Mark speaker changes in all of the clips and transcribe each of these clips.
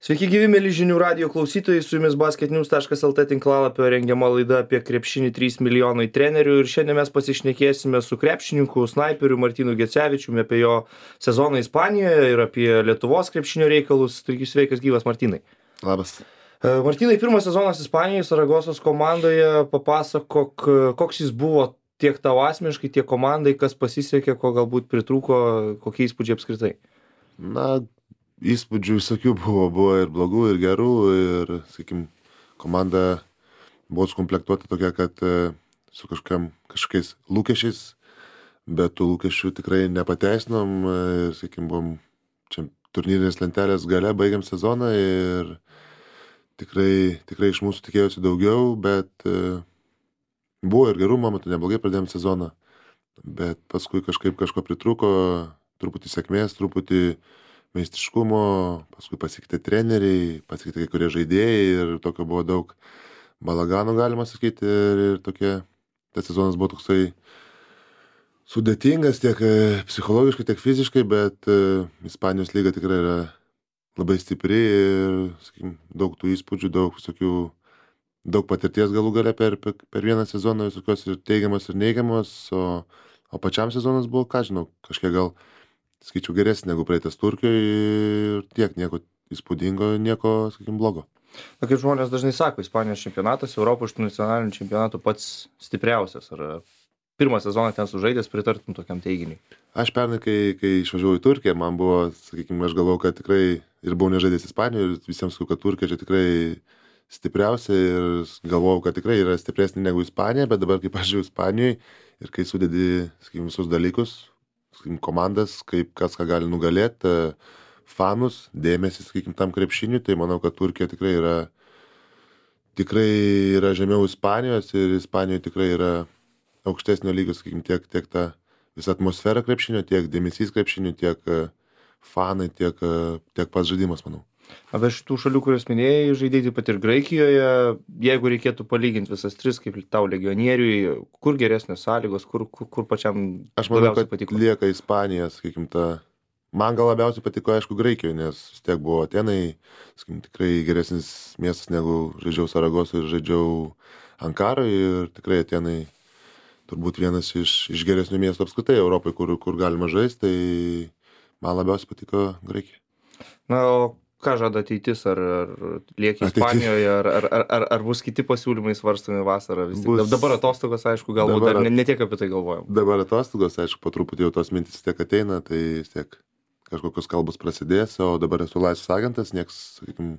Speaker 1: Sveiki gyvi, mėly žinių radijo klausytojai, su jumis basketnews.lt tinklalapio rengiama laida apie krepšinį 3 milijonai trenerių ir šiandien mes pasišnekėsime su krepšininku, snaiperiu Martynu Gecevičiumi apie jo sezoną Ispanijoje ir apie Lietuvos krepšinio reikalus. Taigi sveikas gyvas, Martynai.
Speaker 2: Labas.
Speaker 1: Martynai, pirmas sezonas Ispanijoje, Saragosos komandoje, papasakok, koks jis buvo tiek tau asmeniškai, tiek komandai, kas pasisekė, ko galbūt pritrūko, kokie įspūdžiai apskritai.
Speaker 2: Na, įspūdžių visokių buvo ir blogų, ir gerų, ir, sakykim, komanda buvo sukomplektuota tokia, kad su kažkokiais lūkesčiais, bet tų lūkesčių tikrai nepateisinom, ir, sakykim, buvom čia turnyrinės lentelės gale, baigiam sezoną ir tikrai iš mūsų tikėjosi daugiau, bet buvo ir gerų momentų, neblogai pradėjom sezoną, bet paskui kažko pritrūko, truputį sėkmės, truputį meistriškumo, paskui pasikeitė treneriai, pasikeitė kai kurie žaidėjai ir tokio buvo daug balagano, galima sakyti, ir tas sezonas buvo toksai sudėtingas tiek psichologiškai, tiek fiziškai, bet Ispanijos lyga tikrai yra labai stipri ir, sakykim, daug tų įspūdžių, daug patirties galų gale per vieną sezoną, visokios ir teigiamos ir neigiamos, o pačiam sezonas buvo, ką žinau, kažkiek gal skaičiau geresnį negu praeitas Turkijoje ir tiek, nieko įspūdingo, nieko, sakykim, blogo.
Speaker 1: Na, kaip žmonės dažnai sako, Ispanijos čempionatas, Europos nacionalinių čempionatų pats stipriausias. Ar pirmą sezoną ten sužaidęs pritartum tokiam teiginiui?
Speaker 2: Aš pernai, kai išvažiavau į Turkiją, man buvo, sakykim, aš galvojau, kad tikrai ir buvau nežaidęs Ispanijoje ir visiems sakau, kad Turkija čia tikrai stipriausia ir galvojau, kad tikrai yra stipresnė negu Ispanija, bet dabar, kai pažiūrėjau Ispanijoje ir kai sudedi, sakykim, visus dalykus, komandas, kaip kas ką gali nugalėti, fanus, dėmesį, sakykim, tam krepšiniui, tai manau, kad Turkija tikrai yra žemiau Ispanijos ir Ispanijoje tikrai yra aukštesnio lygio, sakykim, tiek ta visa atmosfera krepšinio, tiek dėmesys krepšiniui, tiek fanai, tiek pats žaidimas, manau.
Speaker 1: Apie šitų šalių, kurias minėjai, žaidėjai taip pat ir Graikijoje, jeigu reikėtų palyginti visas tris, kaip tau legionieriui, kur geresnės sąlygos, kur pačiam
Speaker 2: aš manau,
Speaker 1: labiausiai
Speaker 2: kad
Speaker 1: patiko?
Speaker 2: lieka Ispanija, sakykim, man gal labiausiai patiko, aišku, Graikijoje, nes vis tiek buvo Atenai, sakykim, tikrai geresnis miestas negu žaidžiau Saragosoje ir žaidžiau Ankaroje ir tikrai Atenai turbūt vienas iš geresnių miestų apskritai Europai, kur galima žaisti, tai man labiausiai patiko Graikija.
Speaker 1: Na, o ką žada ateitis, ar lieki Ispanijoje, ar bus kiti pasiūlymai svarstomi vasarą? Dabar atostogos, aišku, galbūt dar ne tiek apie tai galvojam.
Speaker 2: Dabar atostogos, aišku, po truputį jau tos mintis tiek ateina, tai vis tiek kažkokios kalbos prasidės, o dabar esu laisvas agentas, nieks, sakykim,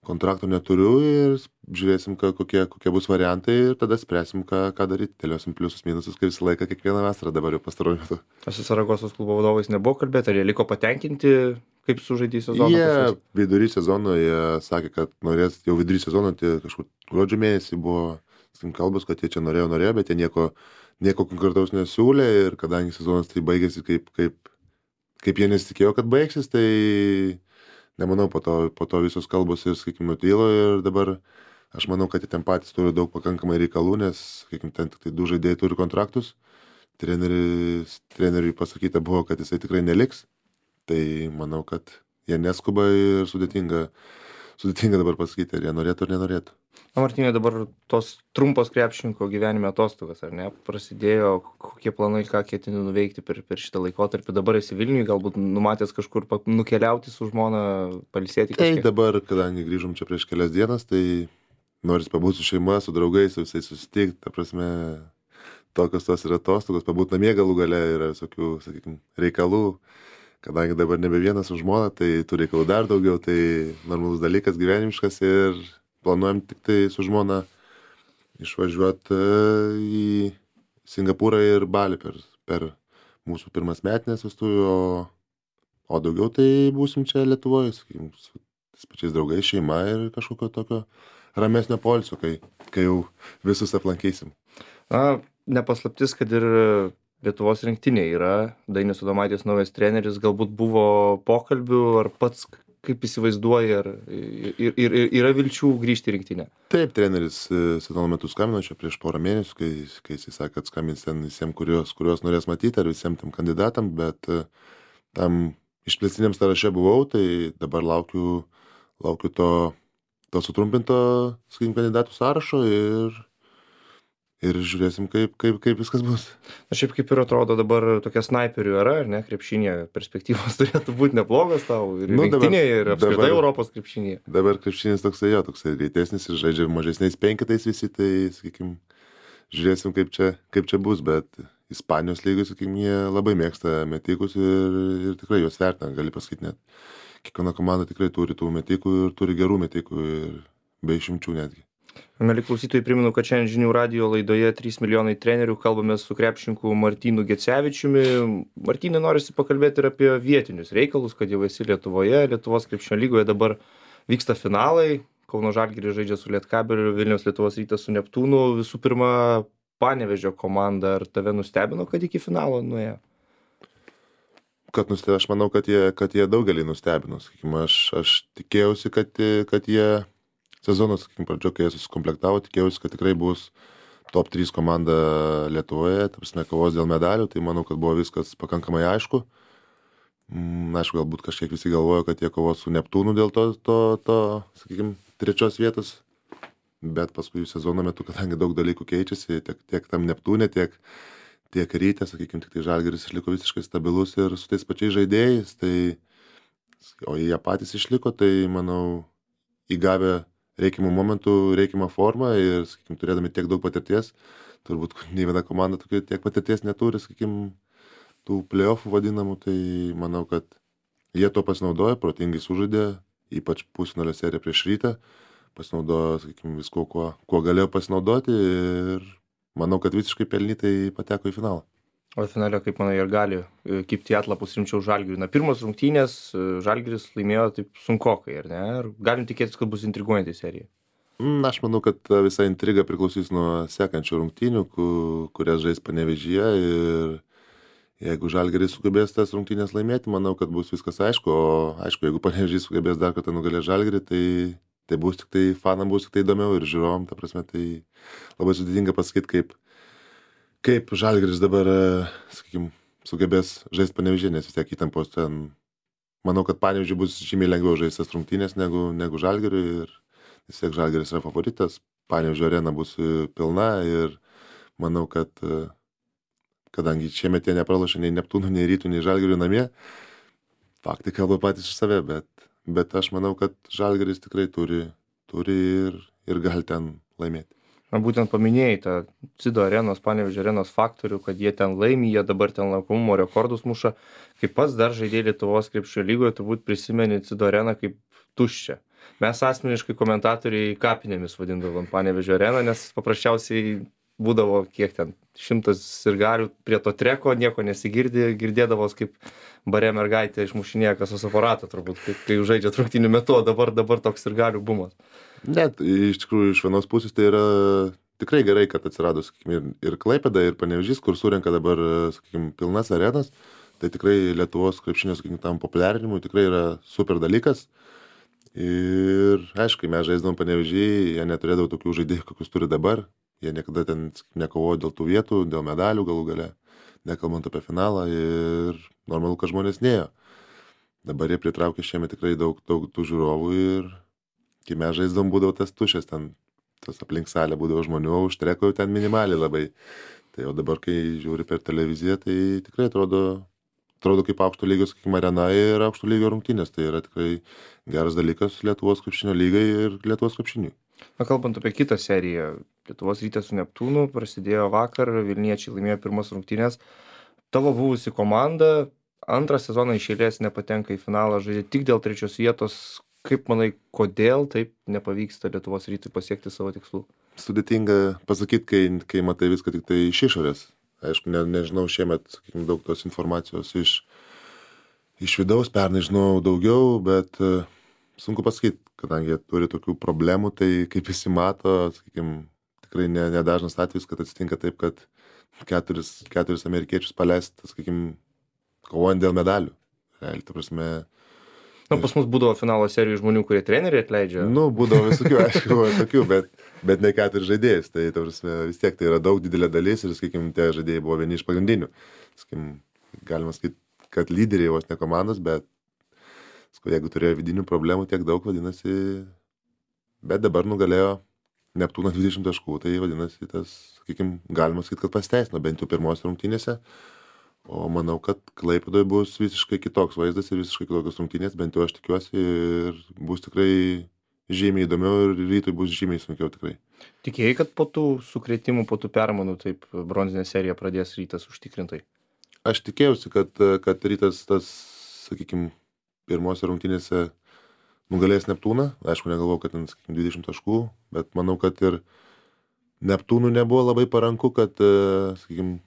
Speaker 2: kontrakto neturiu ir žiūrėsim, kokie bus variantai ir tada spręsim, ką daryti. Dėliosim pliusus, minusus, kaip visą laiką, kiekvieną vasarą dabar jau pastaruoju metu.
Speaker 1: Su Saragosos klubo vadovais nebuvo kalbėti, ar jie liko patenkinti, kaip sužaidė sezoną?
Speaker 2: Jie vidury sezono, jie sakė, kad norės, jau vidury sezono, tai kažkur gruodžio mėnesį buvo kalbos, kad jie čia norėjo, bet jie nieko konkretaus nesiūlė ir kadangi sezonas tai baigėsi kaip jie nesitikėjo, kad baigsis, tai nemanau, po to visos kalbos ir, sakykim, nutylo ir dabar aš manau, kad jie ten patys turi daug pakankamai reikalų, nes, sakykim, ten tik tai 2 žaidėjai turi kontraktus. Treneriui pasakyta buvo, kad jisai tikrai neliks. Tai manau, kad jie neskuba ir sudėtinga dabar pasakyti, ar jie norėtų ar nenorėtų.
Speaker 1: Na, Martynai, dabar tos trumpos krepšininko gyvenime atostogos, ar ne? Prasidėjo, kokie planai, ką ketini nuveikti per šitą laikotarpį. Dabar esi Vilniuje, galbūt numatęs kažkur nukeliauti su žmona, pailsėti kažkiek?
Speaker 2: Tai dabar, kadangi grįžom čia prieš kelias dienas, tai noris pabūti su šeima, su draugais, su visais susitikti, ta prasme, tokios tos yra atostogos, pabūti namie galų gale yra visokių, sakykim, reikalų. Kadangi dabar nebe vienas su žmona, tai tų reikalų dar daugiau, tai normalus dalykas, gyvenimiškas ir planuojam tik tai su žmona išvažiuoti į Singapūrą ir Balį per mūsų pirmas metinės vestuvių, o daugiau tai būsim čia Lietuvoje, sakykim, su tais pačiais draugais, šeima ir kažkokio tokio ramesnio poilsio, kai jau visus aplankysim.
Speaker 1: Na, nepaslaptis, kad ir Lietuvos rinktinė yra, Dainius Adomaitis naujas treneris, galbūt buvo pokalbių, ar pats kaip įsivaizduoji, ar yra vilčių grįžti į rinktinę?
Speaker 2: Taip, treneris sezono metu skambino čia prieš porą mėnesių, kai jisai sakė, kad skambins ten visiems, kuriuos norės matyti, ar visiems tam kandidatam, bet tam išplėstiniam sąraše buvau, tai dabar laukiu laukiu to sutrumpinto, sakykim, kandidatų sąrašo ir žiūrėsim, kaip viskas bus.
Speaker 1: Na šiaip kaip ir atrodo dabar tokia snaiperių era, ar ne, krepšinėje perspektyvos turėtų būti neblogas tau ir
Speaker 2: Nu, dabar-
Speaker 1: rinktinėje, ir apskritai
Speaker 2: dabar-
Speaker 1: Europos krepšinėje.
Speaker 2: Dabar krepšinis toksai greitesnis ir žaidžia mažesniais penketais visi, tai, sakykim, žiūrėsim, kaip čia bus, bet Ispanijos lygai, sakykim, jie labai mėgsta metikus ir tikrai juos vertina, gali pasakyti net. Kiekviena komanda tikrai turi tų metikų ir turi gerų metikų ir be išimčių netgi.
Speaker 1: Mieli klausytojai, primenu, kad šiandien žinių radijo laidoje 3 milijonai trenerių kalbame su krepšininku Martynu Gecevičiumi. Martynai, norisi pakalbėti ir apie vietinius reikalus, kad jau esi Lietuvoje, Lietuvos krepšinio lygoje dabar vyksta finalai. Kauno Žalgiris žaidžia su Lietkabeliu, Vilniaus Lietuvos Rytas su Neptūnu. Visų pirma, Panevėžio komanda, ar tave nustebino, kad iki finalo nuėjo?
Speaker 2: Aš manau, kad jie daugelį nustebino. Sakykim, aš tikėjausi, kad jie sezonas, sakykim, pradžio, kai jie susikomplektavo, tikėjausi, kad tikrai bus top 3 komanda Lietuvoje, ta prasme, kovos dėl medalių, tai manau, kad buvo viskas pakankamai aišku. Aišku, galbūt kažkiek visi galvojo, kad jie kovos su Neptūnu dėl to sakykim, 3 vietos, bet paskui sezono metu, kadangi daug dalykų keičiasi, tiek tam Neptūne, tiek Ryte, sakykim, tik tai Žalgiris išliko visiškai stabilus ir su tais pačiais žaidėjais, o jie patys išliko, tai manau, įgavę reikiamų momentų, reikiamą formą ir, sakykim, turėdami tiek daug patirties, turbūt nei viena komanda tiek patirties neturi, sakykim, tų play-offų vadinamų, tai manau, kad jie to pasinaudojo, protingai sužaidė, ypač pusfinalio seriją prieš Rytą, pasinaudojo, sakykim, visko, kuo galėjo pasinaudoti ir manau, kad visiškai pelnytai pateko į finalą.
Speaker 1: O finale, kaip manai, ir gali kibti atlapus rimčiau Žalgiriui. Na, pirmos rungtynės Žalgiris laimėjo taip sunkokai, ar ne? Ar galim tikėtis, kad bus intriguojanti serija?
Speaker 2: Aš manau, kad visa intriga priklausys nuo sekančių rungtynių, kurias žais Panevėžyje ir jeigu Žalgiris sugebės tas rungtynės laimėti, manau, kad bus viskas aišku, o aišku, jeigu Panevėžys sugebės dar kartą nugalėti Žalgirį, tai bus tik tai fanam bus tik tai įdomiau ir žiūrovom, ta prasme, tai labai sudėtinga pasakyti, kaip Žalgiris dabar, sakykim, sugebės žaisti Panevėžyje, nes vis tiek įtampos ten, manau, kad Panevėžyje bus žymiai lengviau žaistas rungtynės negu Žalgiriui ir vis tiek Žalgiris yra favoritas, Panevėžio arena bus pilna ir manau, kad kadangi šiemet jie nepralošė nei Neptūnų, nei Rytų, nei Žalgiriui namie, faktai kalba patys iš save, bet aš manau, kad Žalgiris tikrai turi ir gali ten laimėti.
Speaker 1: Na, būtent paminėjai tą Cido arenos, Panevėžio arenos faktorių, kad jie ten laimi, jie dabar ten lankomumo rekordus muša. Kaip pats dar žaidėjai Lietuvos krepšinio lygoje, turbūt prisimeni Cido areną kaip tuščią. Mes asmeniškai komentatoriai kapinėmis vadindavom Panevėžio areną, nes paprasčiausiai būdavo kiek ten 100 sirgalių prie to treko, nieko nesigirdi, girdėdavos kaip bare mergaitė išmušinėja kasos aparatą turbūt, kai žaidžia rungtynių metu, o dabar toks sirgalių bumas.
Speaker 2: Net iš tikrųjų iš vienos pusės tai yra tikrai gerai, kad atsirado, sakykim, ir Klaipėda, ir Panevėžys, kur surenka dabar, sakykim, pilnas arenas, tai tikrai Lietuvos krepšinio, sakykim, tam populiarinimui tikrai yra super dalykas. Ir aišku, kai mes žaisdavom Panevėžį, jie neturėdavo tokių žaidėjų, kokius turi dabar. Jie niekada ten nekovojo dėl tų vietų, dėl medalių galų gale, nekalbant apie finalą ir normalu, kad žmonės nėjo. Dabar jie pritraukė šiemet tikrai daug tų žiūrovų ir kai mes žaisdavom būdavo tas tušęs, ten tas aplink salę būdavo žmonių, o už treko ten minimaliai labai. Tai o dabar, kai žiūri per televiziją, tai tikrai atrodo kaip aukšto lygio, sakykime, arena ir aukšto lygio rungtynės. Tai yra tikrai geras dalykas Lietuvos krepšinio lygai ir Lietuvos krepšiniui.
Speaker 1: Na, kalbant apie kitą seriją, Lietuvos Rytas su Neptūnu prasidėjo vakar, Vilniečiai laimėjo pirmas rungtynės. Tavo buvusi komanda antrą sezoną iš eilės nepatenka į finalą, žaidė tik dėl 3 vietos. Kaip manai, kodėl taip nepavyksta Lietuvos Rytui pasiekti savo tikslų?
Speaker 2: Sudėtinga pasakyti, kai matai viską tik tai iš išorės. Aišku, nežinau, šiemet, sakykime, daug tos informacijos iš vidaus, pernai žinau daugiau, bet sunku pasakyti, kadangi jie turi tokių problemų, tai kaip visi mato, sakykime, tikrai nedažnas atvejis, kad atsitinka taip, kad keturis amerikiečius paleista, sakykime, kovojant dėl medalių. Realiai, ta prasme.
Speaker 1: Na, pas mus būdavo finalo serijų žmonių, kurie treneriai atleidžia.
Speaker 2: Nu, būdavo visokių, aišku, buvo tokių, bet ne 4 žaidėjus. Tai, ta prasme, vis tiek tai yra daug didelė dalis ir, sakykime, tie žaidėjai buvo vieni iš pagrindinių. Sakykime, galima sakyti, kad lyderiai vos ne komandos, bet, Sakau, jeigu turėjo vidinių problemų tiek daug, vadinasi, bet dabar nugalėjo Neptūną 20 taškų, tai vadinasi, tas, sakykime, galima sakyti, kad pasiteisino, bent jau pirmos rungtynėse. O manau, kad Klaipėdoje bus visiškai kitoks vaizdas ir visiškai kitokios rungtynės, bent jau aš tikiuosi, ir bus tikrai žymiai įdomiau ir rytui bus žymiai sunkiau tikrai.
Speaker 1: Tikėjai, kad po tų sukrėtimų, po tų permainų taip bronzinę seriją pradės Rytas užtikrintai?
Speaker 2: Aš tikėjausi, kad Rytas tas, sakykime, pirmose rungtynėse nugalės Neptūną. Aišku, negalvojau, kad ten, sakykime, 20 taškų, bet manau, kad ir Neptūnų nebuvo labai paranku, kad, sakykime,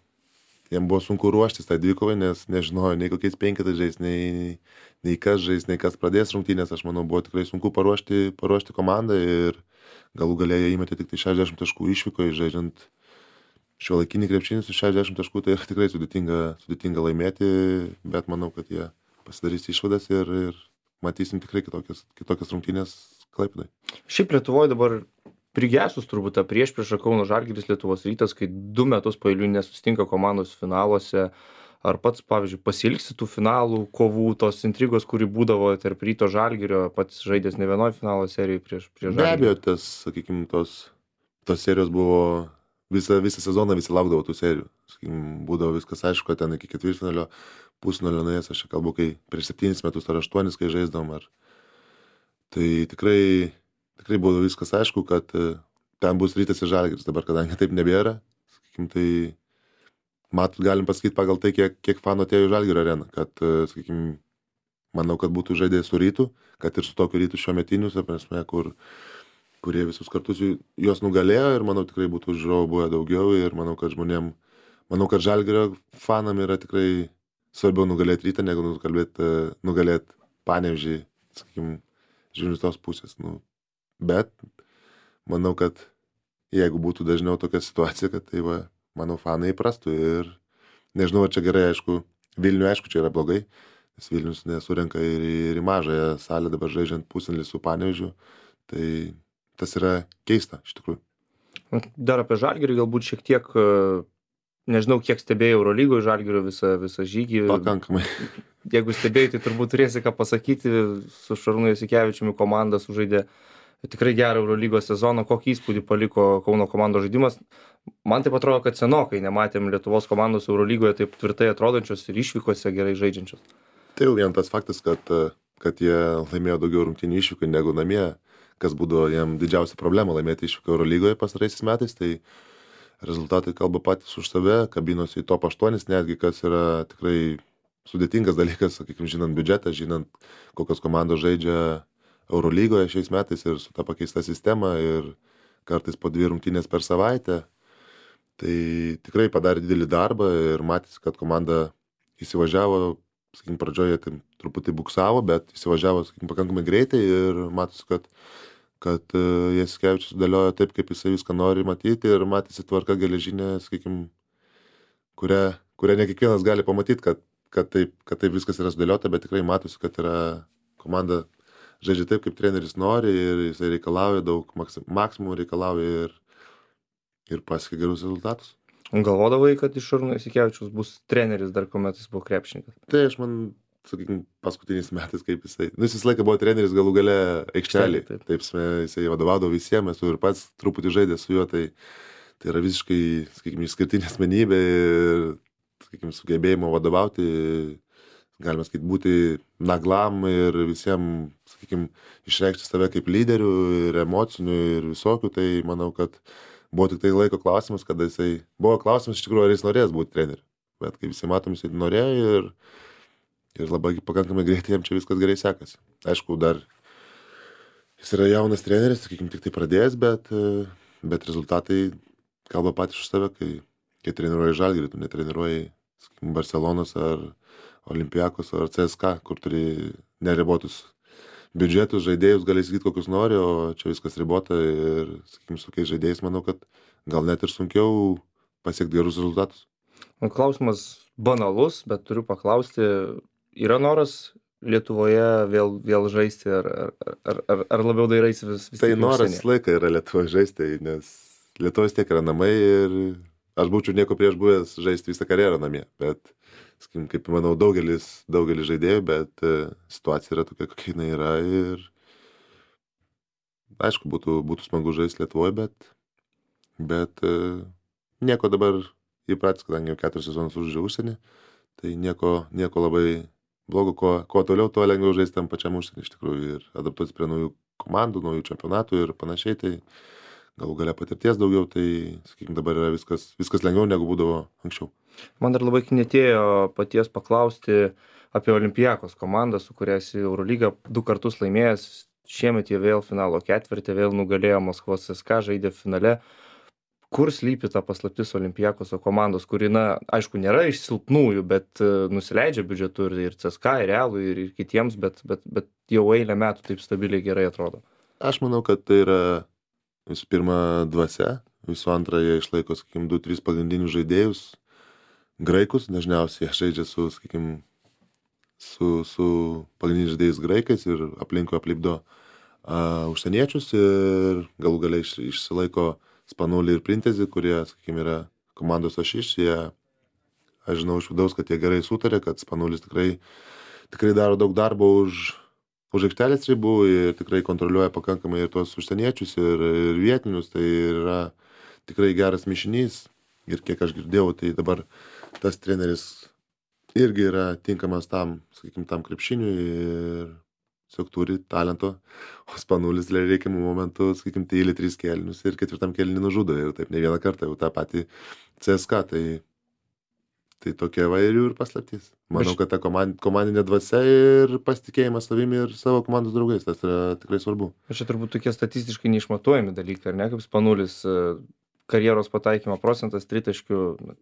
Speaker 2: jiem buvo sunku ruoštis tą dvikovą, nes nežinojo nei kokiais penketais žais, nei kas žais, nei kas pradės rungtynės. Aš manau, buvo tikrai sunku paruošti komandą ir galų galėje įmetė tik tai 60 taškų išvykoje, žaidžiant šiuolaikinį krepšinį su 60 taškų, tai yra tikrai sudėtinga laimėti, bet manau, kad jie pasidarys išvadas ir matysim tikrai kitokias rungtynės Klaipėdoje.
Speaker 1: Šiaip Lietuvoje dabar prigesus turbūt ta priešprieša Kauno Žalgiris Lietuvos Rytas, kai 2 metus paeiliui nesusitinka komandos finaluose. Ar pats, pavyzdžiui, pasiilgsi tų finalų, kovų, tos intrigos, kuri būdavo tarp Ryto Žalgirio, pats žaidęs ne vienoje finalo serijoje prieš Žalgirį?
Speaker 2: Be abejo, tas, sakykime, tos serijos buvo visą sezoną, visi laukdavo tų serijų. Sakykime, būdavo viskas aišku, kad ten iki ketvirtfinalio, pusfinalio nuėjęs, aš čia kalbu, kai prieš 7 metus ar 8, kai žaisdavom. Tai tikrai buvo viskas aišku, kad ten bus Rytas ir Žalgiris. Dabar, kadangi taip nebėra, sakykime, tai galim pasakyti pagal tai, kiek fanų atėjo į Žalgirio areną, kad, sakykime, manau, kad būtų žaidėjai su Rytu, kad ir su tokiu Rytu šiuo metiniu, prasme, kurie visus kartus juos nugalėjo ir manau tikrai būtų žiūrovų buvę daugiau ir manau, kad Žalgirio fanam yra tikrai svarbiau nugalėti Rytą, negu nugalėti Panevėžį, sakykime, žiūrint iš tos pusės. Bet manau, kad jeigu būtų dažniau tokia situacija, kad tai va, manau, fanai įprastų ir nežinau, ar čia gerai, aišku, Vilniuje, aišku, čia yra blogai, nes Vilnius nesurenka ir į mažąją salę dabar žaidžiant pusfinalį su Panevėžiu, tai tas yra keista, iš tikrųjų.
Speaker 1: Dar apie Žalgirį galbūt šiek tiek, nežinau, kiek stebėjai Eurolygoje Žalgirio visą žygį.
Speaker 2: Pakankamai.
Speaker 1: Jeigu stebėjai, tai turbūt turėsi ką pasakyti, su Šarūnu Jasikevičiumi komanda sužaidė tikrai gerą Eurolygos sezoną. Kokį įspūdį paliko Kauno komandos žaidimas? Man taip atrodo, kad senokai nematėm Lietuvos komandos Eurolygoje taip tvirtai atrodančios ir išvykose gerai žaidžiančios.
Speaker 2: Tai jau vien tas faktas, kad jie laimėjo daugiau rungtynių išvykai negu namie, kas būdavo jiem didžiausia problema laimėti išvyką Eurolygoje pastaraisiais metais, tai rezultatai kalba patys už save, kabinosi į top 8 netgi, kas yra tikrai sudėtingas dalykas, sakykime, žinant biudžetą, žinant, kokios komandos žaidžia Eurolygoje šiais metais ir su ta pakeista sistema ir kartais po 2 rungtynės per savaitę. Tai tikrai padarė didelį darbą ir matėsi, kad komanda įsivažiavo, sakykime, pradžioje tai truputį buksavo, bet įsivažiavo, sakykime, pakankamai greitai ir matėsi, kad Jasikevičius sudėliojo taip, kaip jisai viską nori matyti ir matėsi tvarka geležinė, sakykime, kurią ne kiekvienas gali pamatyti, kad taip viskas yra sudėliota, bet tikrai matosi, kad yra komanda žaidžia taip, kaip treneris nori ir jisai reikalauja daug, maksimum reikalauja ir pasiekia gerus rezultatus.
Speaker 1: Galvodavai, kad iš Šarūno Jasikevičiaus bus treneris dar kuomet jis buvo krepšininkas?
Speaker 2: Tai aš sakykime, paskutiniais metais, kaip jis visą laiką buvo treneris galų gale aikštelėje. Taip, jisai vadovaudavo visiems, esu ir pats truputį žaidęs su juo, tai yra visiškai, sakykime, išskirtinė asmenybė ir, sakykime, sugebėjimo vadovauti, galima sakyti, būti naglam ir visiems, sakykime, išreikšti save kaip lyderių ir emocinių ir visokių, tai manau, kad buvo tik tai laiko klausimas, kada buvo klausimas iš tikrųjų, ar jis norės būti treneriu. Bet kaip visi matom, jisai norėjo ir labai pakankamai greitai jam čia viskas gerai sekasi. Aišku, dar jis yra jaunas treneris, sakykime, tik tai pradėjęs, bet rezultatai kalba patys už save, kai treniruoji Žalgirį, tu netreniruoji, sakykime, Barcelonos ar Olympiakos ar CSKA, kur turi neribotus biudžetus, žaidėjus, gali sakyti, kokius nori, o čia viskas ribota ir, sakykime, su tokiais žaidėjais, manau, kad gal net ir sunkiau pasiekti gerus rezultatus.
Speaker 1: Klausimas banalus, bet turiu paklausti, yra noras Lietuvoje vėl žaisti, ar labiau dairaisi vis
Speaker 2: tai noras visą laiką yra Lietuvoje žaisti, nes Lietuvos tiek yra namai ir aš būčiau nieko prieš buvęs žaisti visą karjerą namie, bet sakykim, kaip manau, daugelis žaidėjų, bet situacija yra tokia, kokia jinai yra ir aišku, būtų smagu žaisti Lietuvoje, bet nieko dabar įpratęs, kadangi jau 4 sezonus užžaidžiau užsienį, tai nieko labai blogo, kuo toliau, tuo lengviau žaisti tam pačiam užsienį iš tikrųjų ir adaptuotis prie naujų komandų, naujų čempionatų ir panašiai, tai galų gale patirties daugiau, tai, sakykime, dabar yra viskas lengviau negu būdavo anksčiau.
Speaker 1: Man dar labai knietėjo paties paklausti apie Olympiakos komandą, su kuria esi Eurolygą 2 kartus laimėjęs. Šiemet jie vėl finalo ketvirtį, vėl nugalėjo Maskvos CSKA, žaidė finale. Kur slypi ta paslaptis Olympiakoso komandos, kuri, na, aišku, nėra iš silpnųjų, bet nusileidžia biudžetu ir CSKA, ir Realui, ir kitiems, bet jau eilę metų taip stabiliai gerai atrodo.
Speaker 2: Aš manau, kad tai yra visų pirma dvasia, visų antra jie išlaiko, sakykime, 2-3 pagrindinius žaidėjus, graikus, dažniausiai jie žaidžia su, sakykime, su pagrindiniais žaidėjais graikais ir aplinkui aplipdo užsieniečius ir galų galiai išsilaiko Spanulį ir Printezį, kurie, sakykime, yra komandos ašis, aš žinau iš vidaus, kad jie gerai sutarė, kad Spanulis tikrai daro daug darbo už aikštelės ribų ir tikrai kontroliuoja pakankamai ir tuos užsieniečius ir vietinius, tai yra tikrai geras mišinys ir kiek aš girdėjau, tai dabar tas treneris irgi yra tinkamas tam, sakykime, tam krepšiniui ir tiesiog turi talento, o Spanulis reikiamų momentų, sakykime, tyli 3 kėlinius ir 4 kėlinį nužudo ir taip ne vieną kartą jau tą patį CSKA, tai tokia va ir jų ir paslaptis. Manau, kad ta komandinė dvasia ir pasitikėjimas savimi ir savo komandos draugais, tas yra tikrai svarbu.
Speaker 1: Čia turbūt tokie statistiškai neišmatuojami dalykai, ar ne, kaip Spanulis karjeros pataikymo procentas tritaškių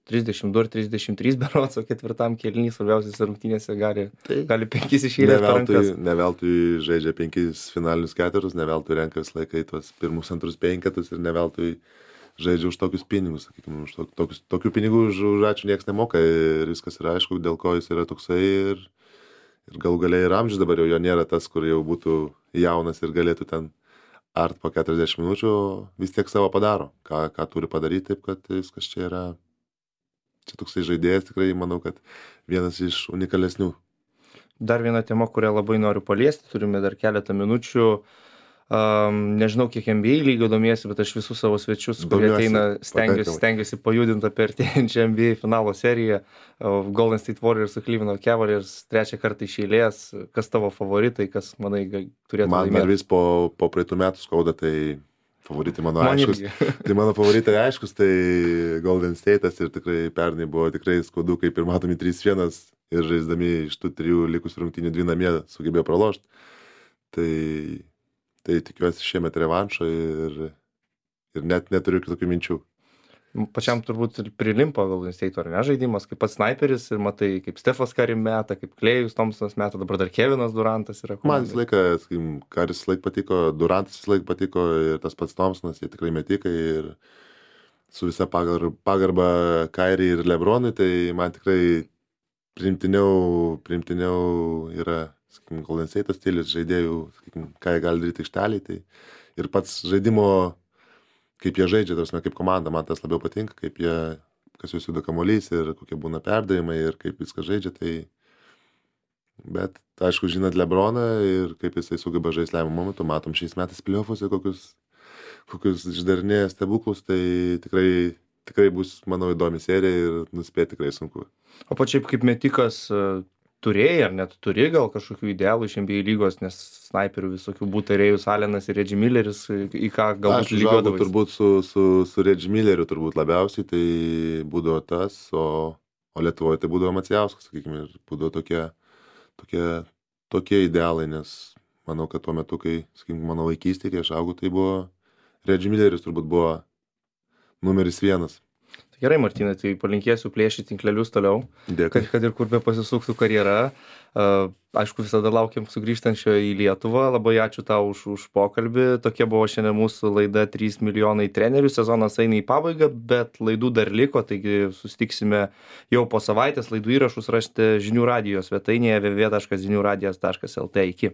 Speaker 1: 32 ir 33 berods, o 4 kėlinį svarbiausiose rungtynėse gali 5 iš eilės per rankas.
Speaker 2: Ne veltui žaidžia 5 finalinius ketvirtus, ne veltui renka visą laiką į tuos pirmus, antrus penketus ir ne veltui žaidžia už tokius pinigus, sakykime, už tokių pinigų už ačiū nieks nemoka ir viskas yra aišku, dėl ko jis yra toksai ir galų galiai ir amžius dabar jau jo nėra tas, kur jau būtų jaunas ir galėtų ten art po 40 minučių, vis tiek savo padaro, ką turi padaryti, taip kad viskas čia yra, čia toksai žaidėjas tikrai, manau, kad vienas iš unikalesnių.
Speaker 1: Dar viena tema, kurią labai noriu paliesti, turime dar keletą minučių. Nežinau, kiek NBA lygio domiesi, bet aš visus savo svečius, kurie ateina, stengiuosi pajudinti apie artėjančią NBA finalo seriją. Golden State Warriors su Cleveland Cavaliers 3 kartą iš eilės. Kas tavo favoritai, kas, manai, turėtų laimėti?
Speaker 2: Man vis po praeitų metų skauda, tai favoritai mano aiškus. Tai mano favoritai aiškus, tai Golden State'as ir tikrai pernai buvo tikrai skaudu, kaip ir matomi 3-1 ir žaisdami iš tų 3 likusių rungtynių 2 namie sugebėjo pralošti. Tai tikiuosi šiemet revanšo ir net neturiu kitokių minčių.
Speaker 1: Pačiam turbūt prilimpa Golden State, ar ne, žaidimas, kaip pats sniperis ir matai, kaip Stefas Curry meta, kaip Klejus Thompsonas meta, dabar dar Kevinas Durantas yra.
Speaker 2: Man visą laiką, sakykim, Currys visą laiką patiko, Durantas visą laiką patiko ir tas pats Thompsonas, jie tikrai metikai ir su visa pagarba Kyrie ir LeBronui, tai man tikrai priimtiniau yra, sakykim, Golden State stilius žaidėjų, sakykim, ką jie gali daryti aikšteliai, tai ir pats žaidimo, kaip jie žaidžia, tarsi kaip komanda, man tas labiau patinka, kaip jie, kas jūs juda kamuolys ir kokie būna perdavimai ir kaip viską žaidžia, tai bet aišku, žinant LeBroną ir kaip jisai sugeba žaisti lemiamų momentų, matom šiais metais playoffuose kokius išdarinėja stebuklus, tai tikrai bus, manau, įdomi serija ir nuspėti tikrai sunku.
Speaker 1: O pačiaip kaip metikas turėjai ar net turi gal kažkokių idealų iš NBA lygos, nes snaiperių visokių būtų Rėjus Alenas ir Reggie Milleris, į ką galbūt lygiuodavais?
Speaker 2: Aš turbūt su Reggie Milleriu turbūt labiausiai, tai būdavo tas, o Lietuvoje tai būdavo Macijauskas, sakykime, ir būdavo tokie idealai, nes manau, kad tuo metu, kai, sakykime, mano vaikystėje, kai aš augau, tai buvo Reggie Milleris turbūt buvo numeris 1.
Speaker 1: Gerai, Martynai, tai palinkėsiu plėšyti tinklelius toliau, kad ir kur be pasisuktų karjera. Aišku, visada laukiam sugrįžtančio į Lietuvą. Labai ačiū tau už pokalbį. Tokia buvo šiandien mūsų laida 3 milijonai trenerių. Sezonas eina į pabaigą, bet laidų dar liko, taigi susitiksime jau po savaitės. Laidų įrašus rasite žinių radijo svetainėje www.žiniųradijas.lt. Iki.